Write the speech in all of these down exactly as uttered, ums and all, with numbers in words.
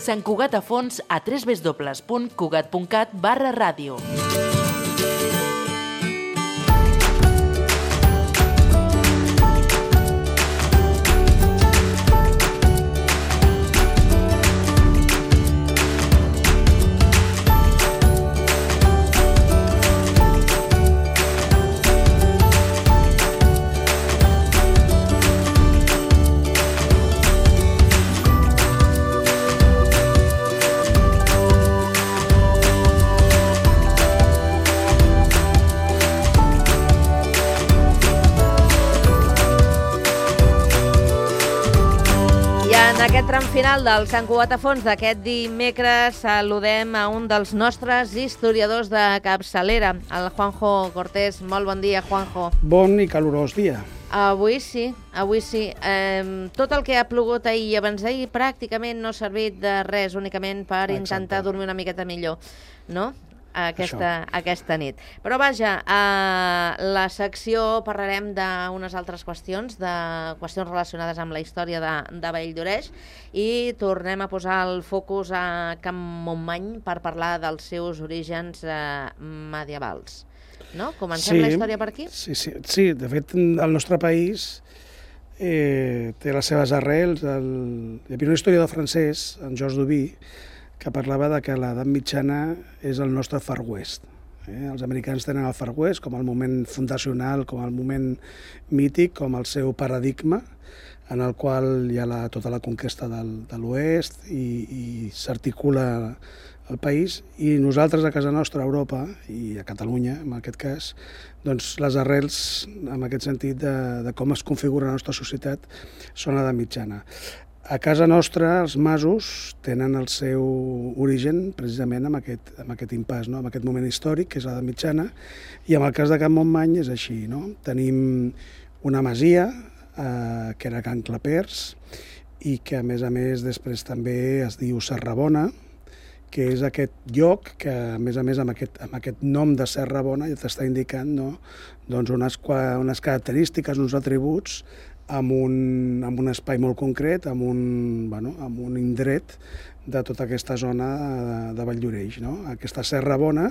Sant Cugat a fons a w w w punt cugat punt cat barra ràdio. En aquest tram final del Sant Cugat a fons d'aquest dimecres saludem a un dels nostres historiadors de capçalera, el Juanjo Cortés. Molt bon dia, Juanjo. Bon i calorós dia. Avui sí, avui sí. Eh, tot el que ha plogut ahir i abans d'ahir pràcticament no ha servit de res, únicament per Exacte. intentar dormir una miqueta millor, no?, aquesta, aquesta nit. Però vaja, a la secció parlarem d'unes altres qüestions, de qüestions relacionades amb la història de, de Valldoreix, i tornem a posar el focus a Can Montmany per parlar dels seus orígens eh, medievals. No? Comencem sí, la història per aquí? Sí, sí, sí, de fet, el nostre país eh, té les seves arrels. El, hi havia un historiador francès, en Georges Duby, que parlava de que l'edat mitjana és el nostre Far West. Eh? Els americans tenen el Far West com el moment fundacional, com el moment mític, com el seu paradigma, en el qual hi ha la, tota la conquesta del, de l'oest i, i s'articula el país, i nosaltres a casa nostra, a Europa, i a Catalunya, en aquest cas, doncs les arrels, en aquest sentit, de, de com es configura la nostra societat, són l'edat mitjana. A casa nostra, els masos tenen el seu origen precisament en aquest, en aquest impàs, no? En aquest moment històric, que és l'edat mitjana, i en el cas de Can Montmany és així, no? Tenim una masia, eh, que era Can Clapers, i que a més a més després també es diu Serrabona, que és aquest lloc que, a més a més, amb aquest, amb aquest nom de Serrabona ja t'està indicant, no?, doncs unes, unes característiques, uns atributs, amb un, amb un espai molt concret, amb un, bueno, amb un indret de tota aquesta zona de, de Valldoreix, no? Aquesta Serrabona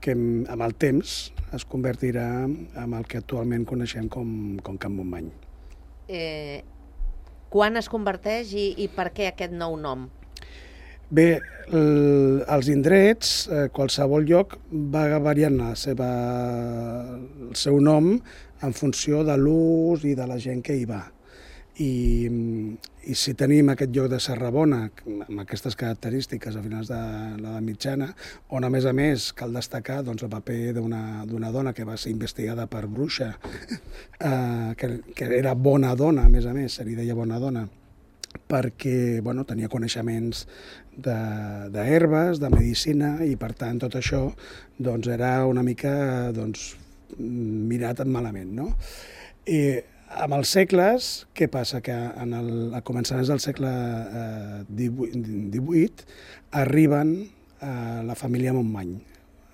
que amb el temps es convertirà en el que actualment coneixem com, com Can Montmany. Eh, quan es converteix i, i per què aquest nou nom? Bé, el, els indrets, eh, qualsevol lloc va variant la seva, el seu nom en funció de l'ús i de la gent que hi va. I, i si tenim aquest lloc de Serrabona, amb aquestes característiques a finals de l'edat mitjana, on a més a més cal destacar doncs, el paper d'una dona que va ser investigada per bruixa, eh, que, que era bona dona, a més a més, se li deia bona dona, perquè bueno, tenia coneixements d'herbes, de, de medicina, i per tant tot això doncs, era una mica doncs, mirat malament, no? I amb els segles, què passa? Que en el, a començaments del segle eh, divuit arriben a la família Montmany.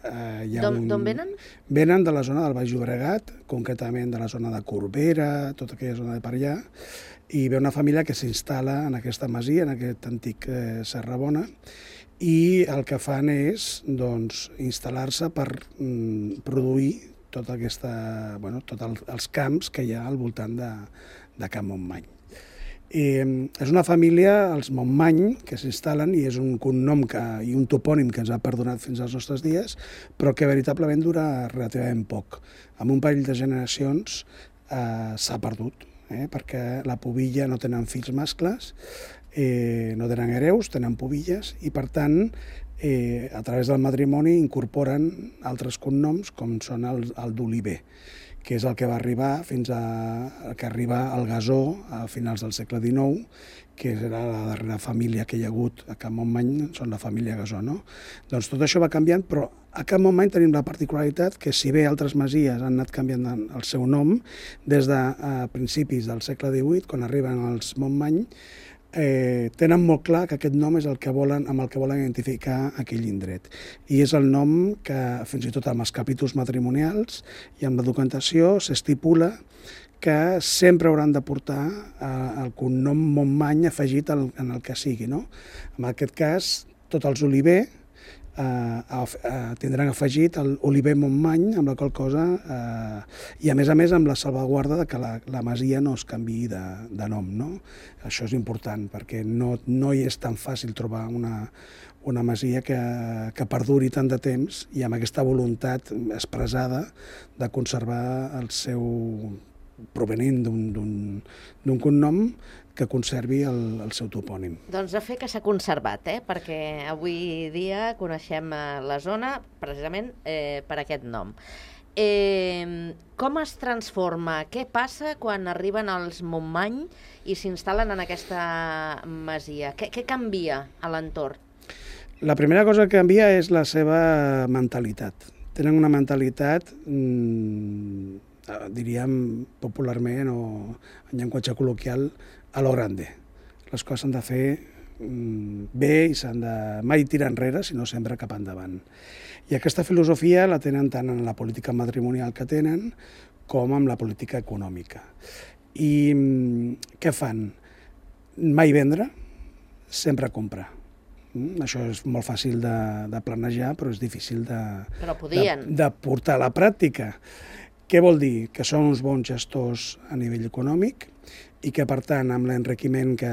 Eh, D'on un... venen? Venen de la zona del Baix Llobregat, concretament de la zona de Corbera, tota aquella zona de per allà, i ve una família que s'instal·la en aquesta masia, en aquest antic eh, Serrabona, i el que fan és doncs, instal·lar-se per mm, produir tota aquesta, bueno, tots el, els camps que hi ha al voltant de, de Can Montmany. I, és una família, els Montmany, que s'instal·len, i és un cognom que, i un topònim que ens ha perdonat fins als nostres dies, però que veritablement dura relativament poc. En un parell de generacions eh, s'ha perdut, eh, perquè la pubilla no tenen fills mascles, eh, no tenen hereus, tenen pubilles, i per tant Eh, a través del matrimoni incorporen altres cognoms com són el, el d'Oliver, que és el que va arribar fins a que arriba al Gasó a finals del segle dinou, que era la darrera família que hi ha hagut a Can Montmany, són la família Gasó, no? Doncs tot això va canviant, però a Can Montmany tenim la particularitat que si bé altres masies han anat canviant el seu nom, des de a principis del segle divuit, quan arriben els Montmany, Eh, tenen molt clar que aquest nom és el que volen, amb el que volen identificar aquell indret. I és el nom que, fins i tot amb els capítols matrimonials i amb la documentació, s'estipula que sempre hauran de portar eh, el cognom Montmany afegit al, en el que sigui, no? En aquest cas, tots els Oliver eh, eh, tindran afegit el Oliver Montmany, amb la qual cosa, eh, i a més a més amb la salvaguarda de que la, la masia no es canviï de, de nom, no? Això és important, perquè no, no hi és tan fàcil trobar una, una masia que, que perduri tant de temps i amb aquesta voluntat expressada de conservar el seu provenint d'un cognom que conservi el, el seu topònim. Doncs de fer que s'ha conservat, eh? Perquè avui dia coneixem la zona precisament eh, per aquest nom. Eh, com es transforma? Què passa quan arriben els Montmany i s'instal·len en aquesta masia? Què, què canvia a l'entorn? La primera cosa que canvia és la seva mentalitat. Tenen una mentalitat, mmm, diríem popularment o en llenguatge col·loquial, a lo grande. Les coses s'han de fer mmm, bé i s'han de mai tirar enrere, sinó sempre cap endavant. I aquesta filosofia la tenen tant en la política matrimonial que tenen com en la política econòmica. I mmm, què fan? Mai vendre, sempre comprar. Mm, això és molt fàcil de, de planejar, però és difícil de, però podien. de, de portar a la pràctica. Què vol dir? Que són uns bons gestors a nivell econòmic i que, per tant, amb l'enriquiment que,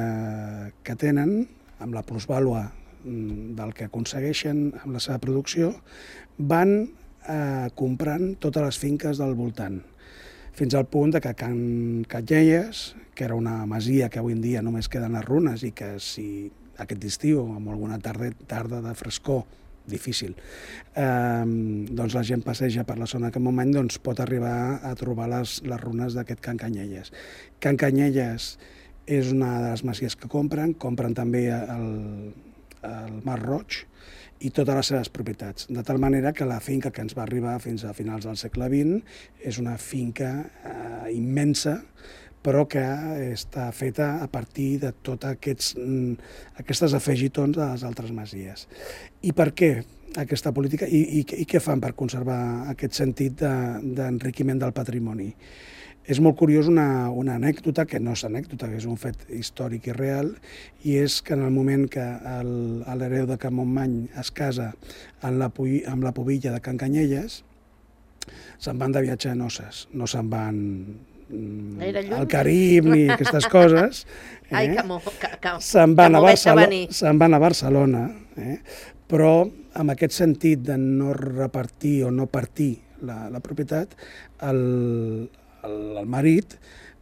que tenen, amb la plusvàlua del que aconsegueixen amb la seva producció, van eh, comprant totes les finques del voltant, fins al punt de que Can Canyelles, que era una masia que avui en dia només queden les runes i que si aquest estiu, amb alguna tarda, tarda de frescor, difícil, eh, doncs la gent passeja per la zona de Can Montmany, doncs pot arribar a trobar les, les runes d'aquest Can Canyelles. Can Canyelles és una de les masies que compren, compren també el, el Mar Roig i totes les seves propietats, de tal manera que la finca que ens va arribar fins a finals del segle vint és una finca eh, immensa, però que està feta a partir de totes aquests, aquestes afegitons de les altres masies. I per què aquesta política? I, i, i què fan per conservar aquest sentit d'enriquiment de, del patrimoni? És molt curiós una, una anècdota, que no és anècdota, que és un fet històric i real, i és que en el moment que l'hereu de Can Montmany es casa amb la, amb la pubilla de Can Canyelles, se'n van de viatge a noces, no se'n van al Carib ni aquestes coses. Eh? Ai, que mo, que, que, se'n van, se van a Barcelona, eh? Però amb aquest sentit de no repartir o no partir la, la propietat, el, el, el marit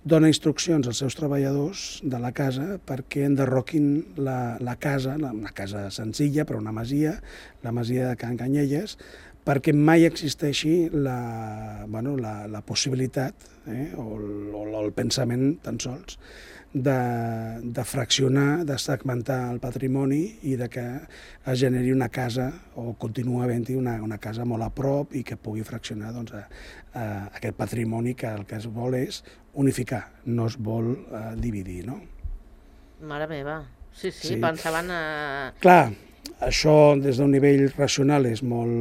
dona instruccions als seus treballadors de la casa perquè enderroquin la, la casa, la, una casa senzilla però una masia, la masia de Can Canyelles, perquè mai existeixi la, bueno, la, la possibilitat eh, o, el, o el pensament tan sols de, de fraccionar, de segmentar el patrimoni i de que es generi una casa o continua havent-hi una, una casa molt a prop i que pugui fraccionar doncs, a, a aquest patrimoni que el que es vol és unificar, no es vol eh, dividir, no? Mare meva, sí, sí, sí. Pensaven a... Clar, això des d'un nivell racional és molt,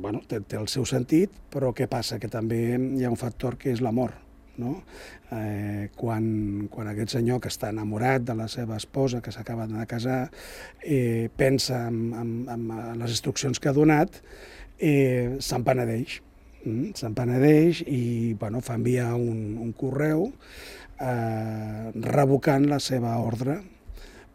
bueno, té, té el seu sentit, però què passa? Que també hi ha un factor que és l'amor, no? Eh, quan, quan aquest senyor que està enamorat de la seva esposa, que s'acaba de casar, eh, pensa en, en, en les instruccions que ha donat, eh, se'n penedeix. Mm? Se'n penedeix i bueno, fa enviar un, un correu eh, revocant la seva ordre,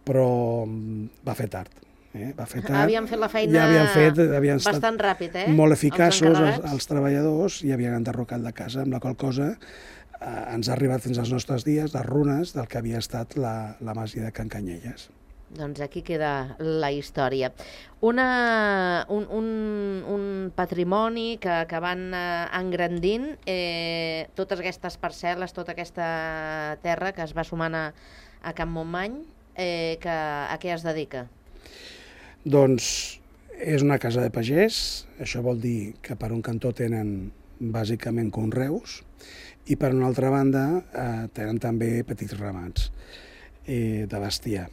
però va fer tard. Eh, va fer tard. Havien fet la feina ja havien fet, havien bastant ràpid, eh? Molt eficaços els, els, els treballadors i havien enderrocat la casa, amb la qual cosa eh, ens ha arribat fins als nostres dies les runes del que havia estat la, la masia de Can Canyelles. Doncs aquí queda la història. Una, un, un, un patrimoni que, que van eh, engrandint, eh, totes aquestes parcel·les, tota aquesta terra que es va sumant a, a Can Montmany, eh, que, a què es dedica? Doncs és una casa de pagès, això vol dir que per un cantó tenen bàsicament conreus i per una altra banda eh, tenen també petits ramats eh, de bestiar.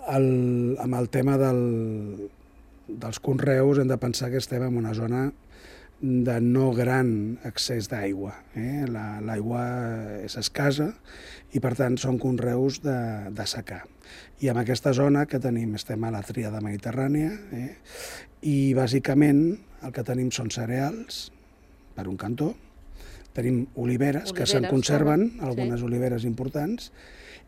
El, amb el tema del, dels conreus hem de pensar que estem en una zona de no gran accés d'aigua. Eh? L'aigua és escassa i, per tant, són conreus de, de secà. I en aquesta zona que tenim, estem a la tríada mediterrània, eh? I bàsicament el que tenim són cereals, per un cantó, tenim oliveres, oliveres que se'n conserven, com... algunes sí. oliveres importants,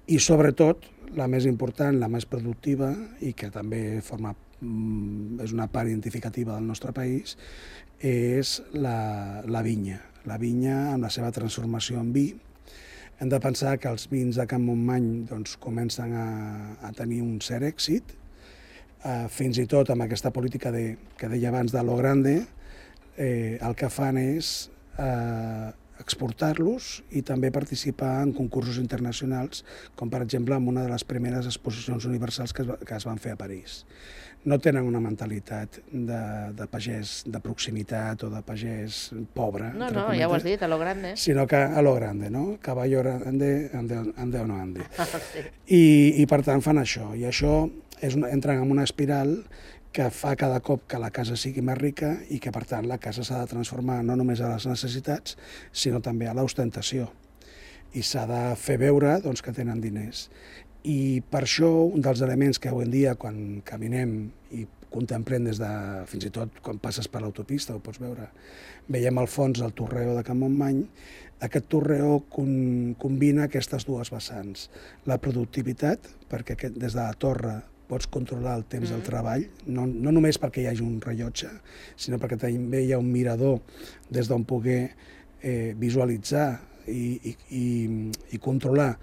i sobretot, la més important, la més productiva, i que també forma, és una part identificativa del nostre país, és la, la vinya. La vinya amb la seva transformació en vi. Hem de pensar que els vins de Can Montmany doncs, comencen a, a tenir un cert èxit, eh, fins i tot amb aquesta política de, que deia abans de lo grande, eh, el que fan és eh, exportar-los i també participar en concursos internacionals, com per exemple en una de les primeres exposicions universals que es, va, que es van fer a París. No tenen una mentalitat de, de pagès de proximitat o de pagès pobre. No, no, ja ho has dit, a lo grande. Sinó que a lo grande, no? Caballo grande, ande, ande o no ande. Sí. I, I per tant fan això. I això és una, entren en una espiral que fa cada cop que la casa sigui més rica i que, per tant, la casa s'ha de transformar no només a les necessitats, sinó també a l'ostentació. I s'ha de fer veure doncs, que tenen diners. I per això, un dels elements que avui en dia, quan caminem i contemplem des de, fins i tot quan passes per l'autopista, ho pots veure, veiem al fons el torreó de Can Montmany, aquest torreó con, combina aquestes dues vessants. La productivitat, perquè aquest, des de la torre pots controlar el temps mm. del treball, no, no només perquè hi hagi un rellotge, sinó perquè també hi ha un mirador des d'on poder eh, visualitzar i, i, i, i controlar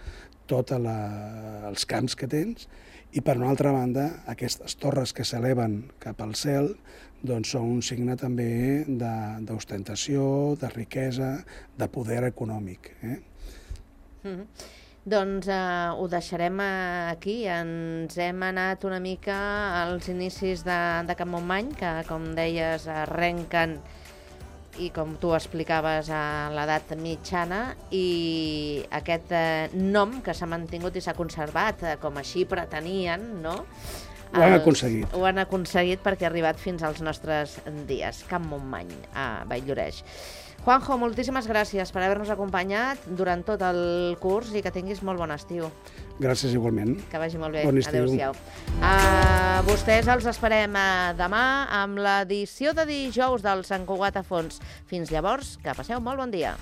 tots els camps que tens, i per una altra banda, aquestes torres que s'eleven cap al cel doncs són un signe també d'ostentació, de, de riquesa, de poder econòmic. Eh? Mm-hmm. Doncs eh, ho deixarem aquí. Ens hem anat una mica als inicis de, de Can Montmany, que, com deies, arrenquen, i com tu explicaves, a l'edat mitjana, i aquest eh, nom que s'ha mantingut i s'ha conservat, eh, com així pretenien, no? Ho han aconseguit. Ho han aconseguit perquè ha arribat fins als nostres dies. Can Montmany, a Vall-lloreix. Juanjo, moltíssimes gràcies per haver-nos acompanyat durant tot el curs i que tinguis molt bon estiu. Gràcies igualment. Que vagi molt bé. Bon estiu. Adéu-siau. A vostès els esperem demà amb l'edició de dijous del Sant Cugat a Fons. Fins llavors, que passeu molt bon dia.